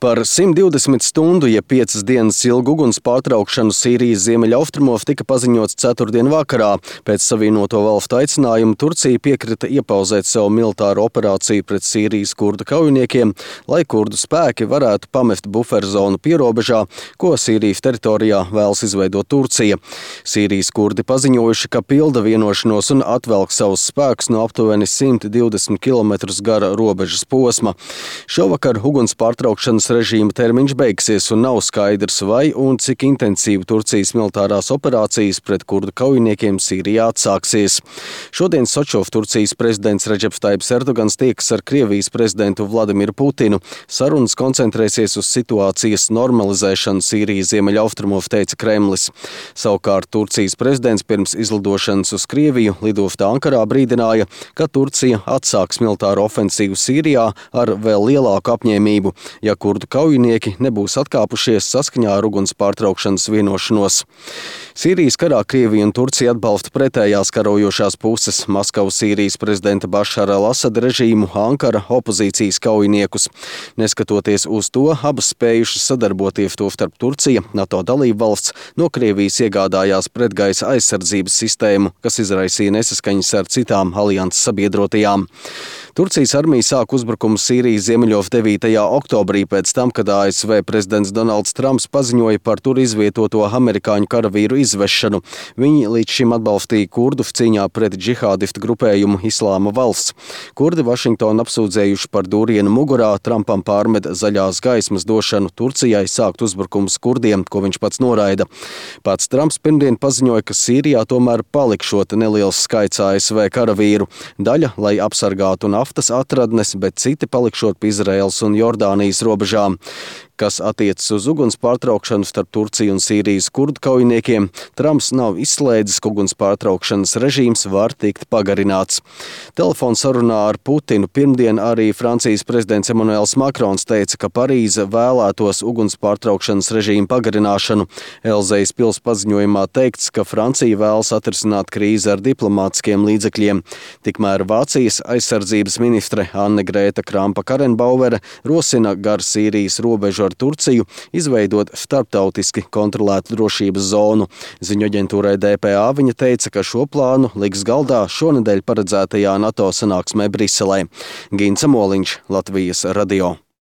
Par 120 stundu, ja 5 dienas ilgu uguns pārtraukšanu Sīrijas ziemeļaustrumos tika paziņots ceturtdien vakarā. Pēc Savienoto Valstu aicinājuma Turcija piekrita iepauzēt savu militāro operāciju pret Sīrijas kurdu kaujiniekiem, lai kurdu spēki varētu pamest buferzonu pierobežā, ko Sīrijas teritorijā vēlas izveidot Turcija. Sīrijas kurdi paziņojuši, ka pilda vienošanos un atvelk savus spēkus no aptuveni 120 km gara robežas posma. Šovakar uguns pārtraukšanas režīma termiņš beigsies un nav skaidrs, vai un cik intensīvi Turcijas militārās operācijas pret kurdu kaujiniekiem Sīrijā atsāksies. Šodien Sočov Turcijas prezidents Redžeps Tajibs Erdogans tiekas ar Krievijas prezidentu Vladimiru Putinu. Sarunas koncentrēsies uz situācijas normalizēšanu Sīrijas ziemeļaustrumos, teica Kremlis. Savukārt Turcijas prezidents pirms izlidošanas uz Krieviju lidostā Ankarā brīdināja, ka Turcija atsāks militāro ofensīvu Sīrijā ar vēl lielāku apņēmību, ja kurdu kaujinieki nebūs atkāpušies saskaņā ar uguns pārtraukšanas vienošanos. Sīrijas karā Krievija un Turcija atbalsta pretējās karojošās puses - Maskavu Sīrijas prezidenta Bašara al-Asada režīmu, Ankara opozīcijas kaujiniekus. Neskatoties uz to, abas spējušas sadarboties, tostarp Turcija, NATO dalība valsts, no Krievijas iegādājās pretgaisa aizsardzības sistēmu, kas izraisīja nesaskaņas ar citām alianses sabiedrotajām. Turcijas armija sāk uzbrukumu Sīrijas ziemeļos 9. oktobrī pēc tam, kad ASV prezidents Donalds Trumps paziņoja par tur izvietoto amerikāņu karavīru izvešanu. Viņi līdz šim atbalstīja kurdus cīņā pret džihādistu grupējumu Islāma valsts. Kurdi Vašingtonu apsūdzējuši par dūrienu mugurā, Trumpam pārmed zaļās gaismas došanu Turcijai sākt uzbrukums kurdiem, ko viņš pats noraida. Pats Trumps pirmdien paziņoja, ka Sīrijā tomēr palikšot neliels skaits ASV karavīru. Daļa, lai apsargātu naftas atradnes, bet citi palikšot pie Izraēlas un Jordānijas robežām. Kas attiecas uz uguns pārtraukšanu starp Turciju un Sīrijas kurdu kaujiniekiem, Trumps nav izslēdzis, ka uguns pārtraukšanas režīms var tikt pagarināts. Telefona sarunā ar Putinu pirmdien arī Francijas prezidents Emmanuels Makrons teica, ka Parīze vēlētos uguns pārtraukšanas režīmu pagarināšanu. Elzejas pils paziņojumā teikts, ka Francija vēlas atrisināt krīzi ar diplomātiskiem līdzekļiem. Tikmēr Vācijas aizsardzības ministre Anne Grēta Krampa-Karrenbauere rosina gar Sīrijas robežu ar Turciju izveidot starptautiski kontrolētu drošības zonu. Ziņu aģentūrai DPA viņa teica, ka šo plānu liks galdā šonedēļ paredzētajā NATO sanāksmē Briselē. Gints Amoliņš, Latvijas radio.